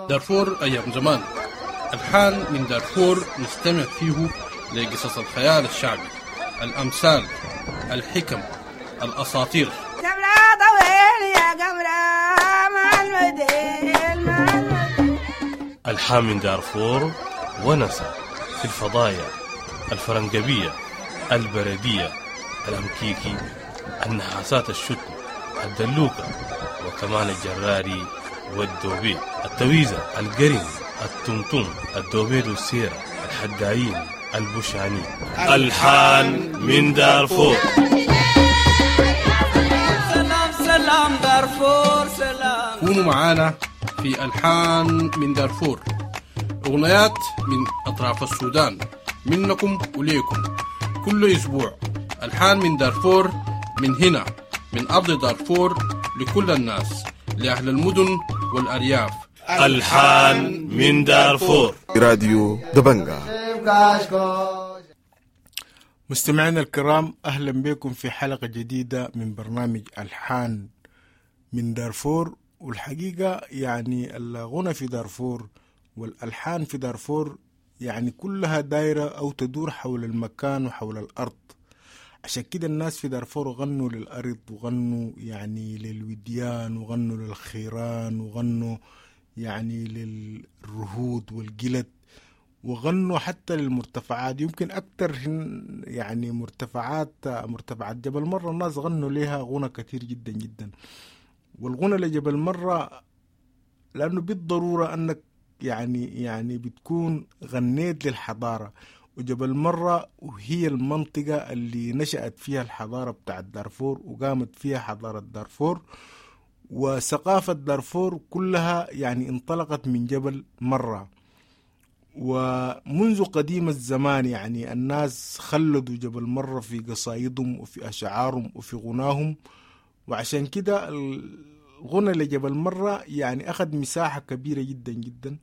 دارفور أيام زمان، ألحان من دارفور نستمع فيه لقصص الخيال الشعبي، الأمثال، الحكم، الأساطير. ألحان من دارفور ونسى في الفضايا الفرنجبية، البردية، الأمكيكي، النحاسات الشتم، الدلوكة، وكمان الجراري والدوبيد، التويزة، القرن، التمتم، الدوبيد والسيرة، الحدايين، البوشاني. ألحان من دارفور. سلام سلام دارفور سلام. كونوا معانا في ألحان من دارفور، أغنيات من أطراف السودان، منكم وليكم كل أسبوع. ألحان من دارفور، من هنا من أرض دارفور، لكل الناس، لأهل المدن والأرياف. ألحان من دارفور. راديو دبنجا. مستمعينا الكرام، أهلا بكم في حلقة جديدة من برنامج ألحان من دارفور. والحقيقة يعني الغنى في دارفور والألحان في دارفور يعني كلها دايرة أو تدور حول المكان وحول الأرض. عشان كده الناس في دارفور غنوا للأرض، وغنوا يعني للوديان، وغنوا للخيران، وغنوا يعني للرهود والجلد، وغنوا حتى للمرتفعات. يمكن أكتر يعني مرتفعات مرتفعات جبل مرة الناس غنوا لها غنى كثير جدا جدا. والغنى لجبل مرة لأنه بالضرورة أنك يعني يعني بتكون غنيت للحضارة، وجبل مرة وهي المنطقة اللي نشأت فيها الحضارة بتاعت دارفور، وقامت فيها حضارة دارفور وثقافة دارفور كلها يعني انطلقت من جبل مرة. ومنذ قديم الزمان يعني الناس خلدوا جبل مرة في قصايدهم وفي أشعارهم وفي غناهم، وعشان كده الغنى لجبل مرة يعني أخذ مساحة كبيرة جدا جدا.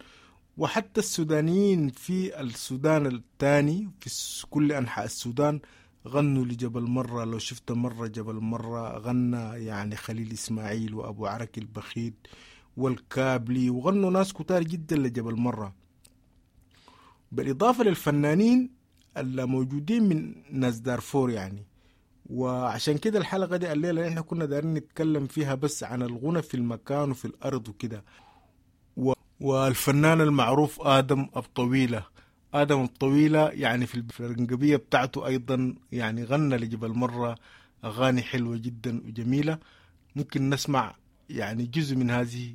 وحتى السودانيين في السودان الثاني في كل أنحاء السودان غنوا لجبل مرة. لو شفت مرة جبل مرة غنى يعني خليل إسماعيل وأبو عركي البخيت والكابلي، وغنوا ناس كتار جدا لجبل مرة، بالإضافة للفنانين اللي موجودين من ناس دارفور يعني. وعشان كده الحلقة دي الليلة احنا كنا دارين نتكلم فيها بس عن الغنى في المكان وفي الأرض وكده. والفنان المعروف آدم أبطويلة، آدم أبطويلة يعني في الفرنجبية بتاعته أيضا يعني غنى لجبل مرة أغاني حلوة جدا وجميلة. ممكن نسمع يعني جزء من هذه.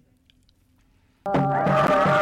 Bye.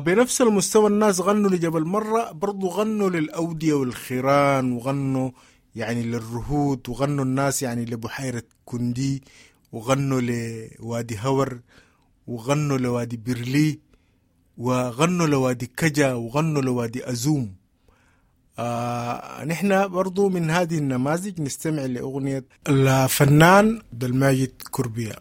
بنفس المستوى الناس غنوا لجبل مرة، برضو غنوا للأودية والخيران، وغنوا يعني للرهود، وغنوا الناس يعني لبحيرة كندي، وغنوا لوادي هور، وغنوا لوادي بيرلي، وغنوا لوادي كجا، وغنوا لوادي أزوم. آه نحن برضو من هذه النماذج نستمع لأغنية الفنان عبد الماجد كربيا.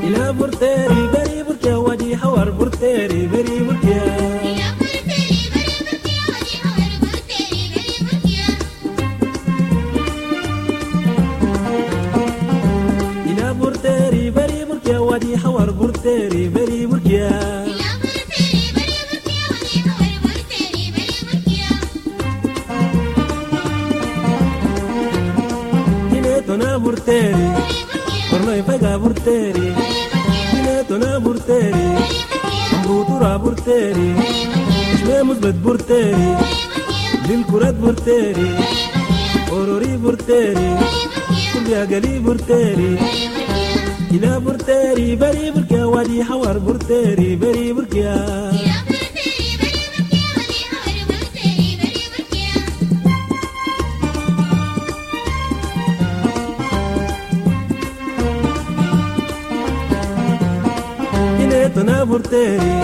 إلى برتيري بري بركة ودي حور برتيري بري بركة إلى برتيري بري بركة ودي حور برتيري بري بركة تنا برتيري ورناي فجا برتيري تنا برتيري أمروتورا برتيري إشمي مثبت برتيري للكرات برتيري أوروري برتيري كل يا قلي برتيري إلى برتيري بري بركة ودي حوار برتيري بري بركة تنا برتيري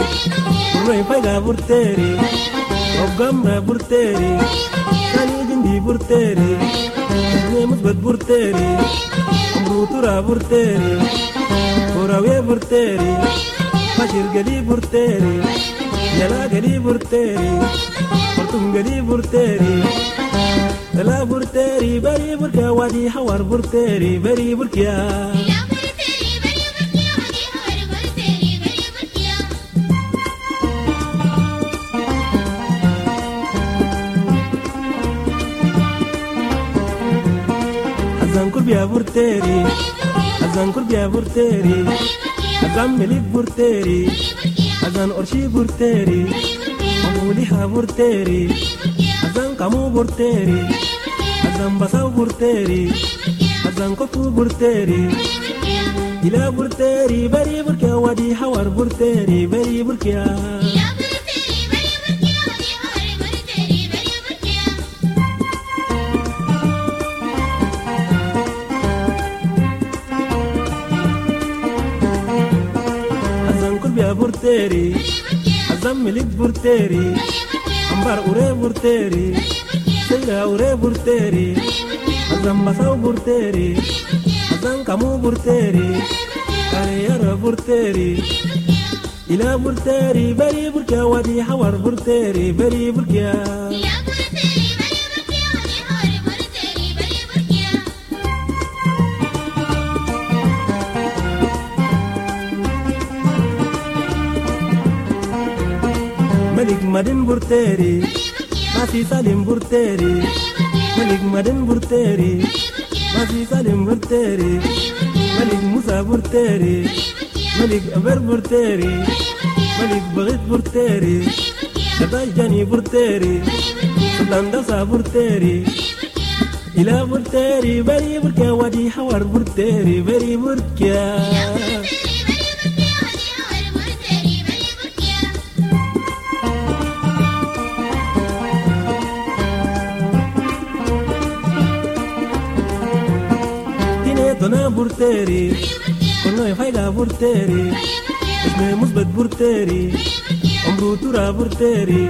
ورناي فجا برتيري وقمرة برتيري ثاني جندي برتيري اسمي مثبت برتيري أمروتورا برتيري كوراوية برتيري بشير قلي برتيري يلا قلي برتيري خرطوم قلي برتيري لا برتيري بري بركة وادي حوار برتيري بري بركة كربيا برتيري أزان كربيا برتيري أزان ملك برتيري أزان أرشي برتيري أموليها برتيري أزان كامو برتيري أزان بساو برتيري أزان كفو برتيري إلى برتيري بري بركة ودي حوار برتيري بري بركة برتيري أزم ملك برتيري أمبار أوري برتيري سيرا أوري برتيري أزم بساو برتيري أزم كامو برتيري كاريارا برتيري إلى برتيري بري بركة ودي حوار برتيري بري بركة ملك مدن برتيري ماسي سالم برتيري ملك مدن برتيري ماسي سالم برتيري ملك موسى برتيري ملك أبر برتيري ملك بغيت برتيري شباش جاني برتيري سلطان دسا برتيري إلى برتيري بري بركة ودي حوار برتيري بري بركة تنا برتيري كنا فايدة برتيري اسمي مثبت برتيري أمروتورا برتيري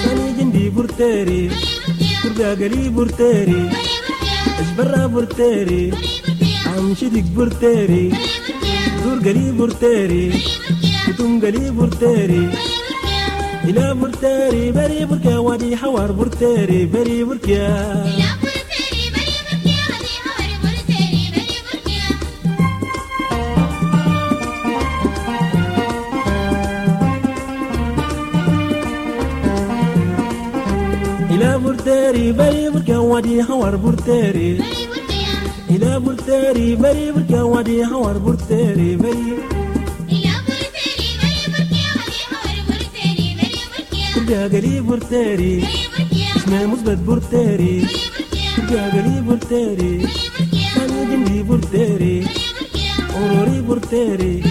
ثاني جندي برتيري كربيا قلي برتيري أجبرا برتيري عم شدك برتيري دور قلي برتيري كتم قلي برتيري إلى برتيري بري بركة ودي حوار برتيري بري بركة إلى برتيري بري بركة ودي حوار برتيري إلى برتيري بري بركة ودي حوار برتيري بري. كرجا قلي برتيري اسمي مثبت برتيري كرجا قلي برتيري سامي جندي برتيري أوروري برتيري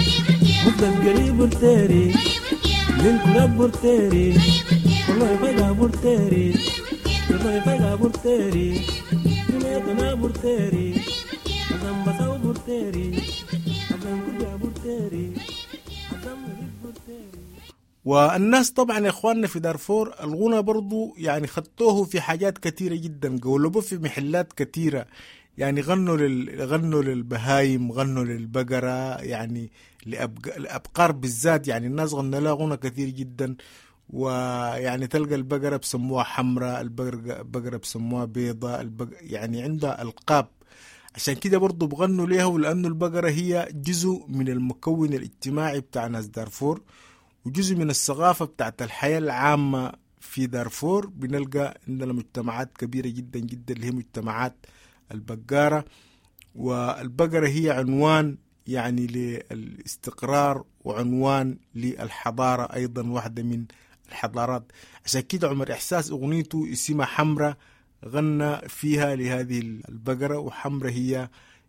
مثبت قلي برتيري للكلاب برتيري والله فايقة برتيري والله فايقة برتيري جنيتنا برتيري أزم بساو برتيري أزم كرجا برتيري أزم برتيري. والناس طبعا يا اخواننا في دارفور الغنى برضو يعني خدتوه في حاجات كثيرة جدا، قولبوه في محلات كثيرة، يعني غنوا لل... غنوا للبهايم، غنوا للبقرة، يعني لأبق... لأبقار بالذات، يعني الناس غنوا لها غنى كثير جدا. ويعني تلقى البقرة بسموها حمراء، البقرة بقرة بسموها بيضاء، البق... يعني عندها ألقاب. عشان كده برضو بغنوا ليها، ولأنه البقرة هي جزء من المكون الاجتماعي بتاع ناس دارفور وجزء من الثقافة بتاعت الحياة العامة في دارفور. بنلقى عندنا مجتمعات كبيرة جدا جدا اللي هي مجتمعات البقارة، والبقرة هي عنوان يعني للاستقرار وعنوان للحضارة أيضا، واحدة من الحضارات. عشان كده عمر إحساس أغنيته اسمها حمرة غنى فيها لهذه البقرة، وحمرة هي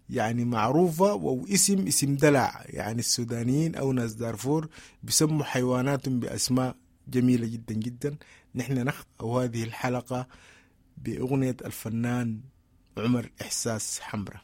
يعني معروفة واسم اسم دلع، يعني السودانيين أو ناس دارفور بيسموا حيواناتهم بأسماء جميلة جدا جدا. نحن نختم هذه الحلقة بأغنية الفنان عمر إحساس حمرة.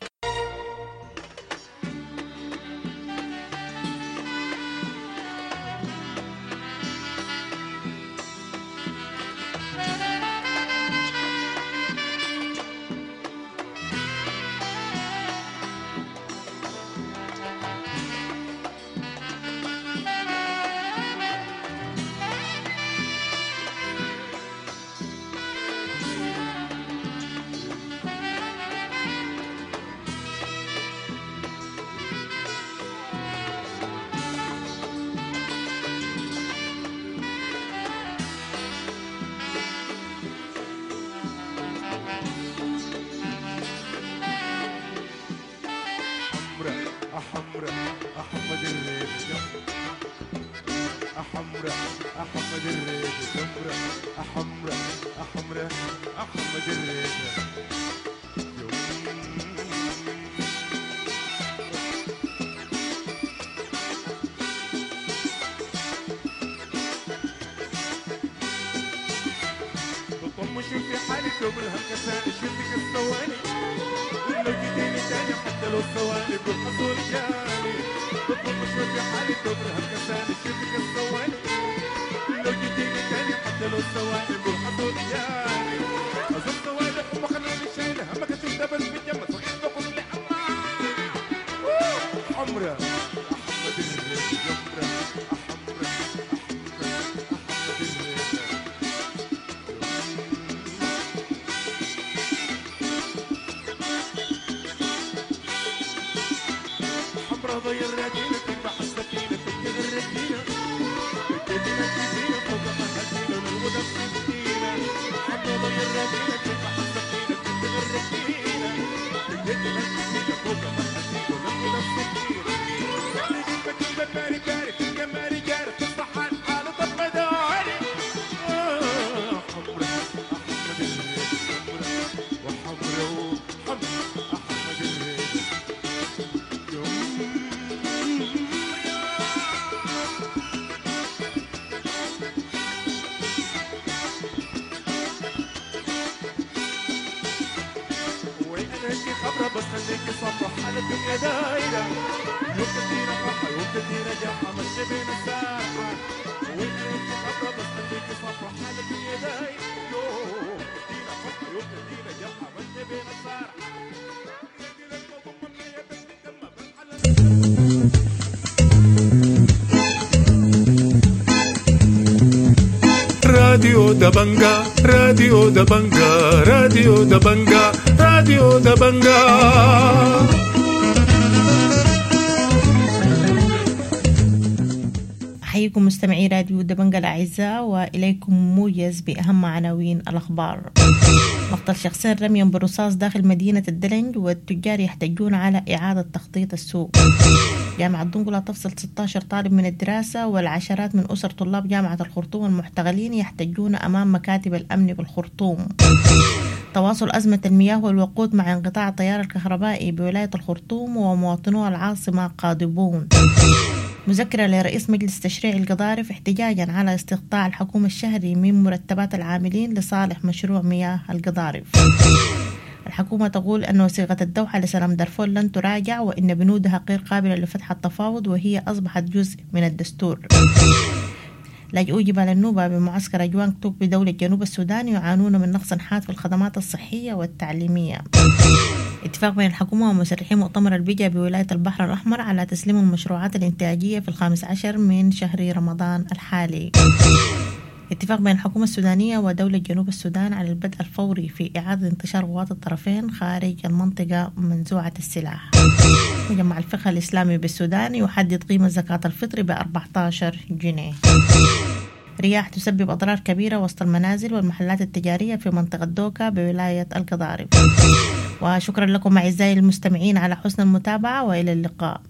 راديو دبنجا، راديو دبنجا، راديو دبنجا، راديو دبنجا. أحييكم مستمعي راديو دبنجة الأعزاء، وإليكم موجز بأهم عناوين الأخبار. مقتل شخصين رميا بالرصاص داخل مدينة الدلنج، والتجار يحتجون على إعادة تخطيط السوق. جامعة دنقلا تفصل ستة عشر طالب من الدراسة، والعشرات من أسر طلاب جامعة الخرطوم المحتغلين يحتجون أمام مكاتب الأمن بالخرطوم. تواصل أزمة المياه والوقود مع انقطاع التيار الكهربائي بولاية الخرطوم، ومواطنو العاصمة قاضبون. مذكرة لرئيس مجلس تشريع القضارف احتجاجا على استقطاع الحكومة الشهري من مرتبات العاملين لصالح مشروع مياه القضارف. الحكومة تقول أن وثيقة الدوحة لسلام دارفور لن تراجع، وإن بنودها غير قابلة لفتح التفاوض، وهي أصبحت جزء من الدستور. لاجئو جبال النوبة بمعسكر أجوانغ توك بدولة جنوب السودان يعانون من نقص حاد في الخدمات الصحية والتعليمية. اتفاق بين الحكومة ومسرحي مؤتمر البيجا بولاية البحر الأحمر على تسليم المشروعات الإنتاجية في الخامس عشر من شهر رمضان الحالي. اتفاق بين الحكومة السودانية ودولة جنوب السودان على البدء الفوري في إعادة انتشار قوات الطرفين خارج المنطقة منزوعة السلاح. مجمع الفقه الإسلامي بالسودان يحدد قيمة زكاة الفطر ب أربعة عشر جنيه. رياح تسبب أضرار كبيرة وسط المنازل والمحلات التجارية في منطقة دوكا بولاية القضارف. وشكرا لكم أعزائي المستمعين على حسن المتابعة، وإلى اللقاء.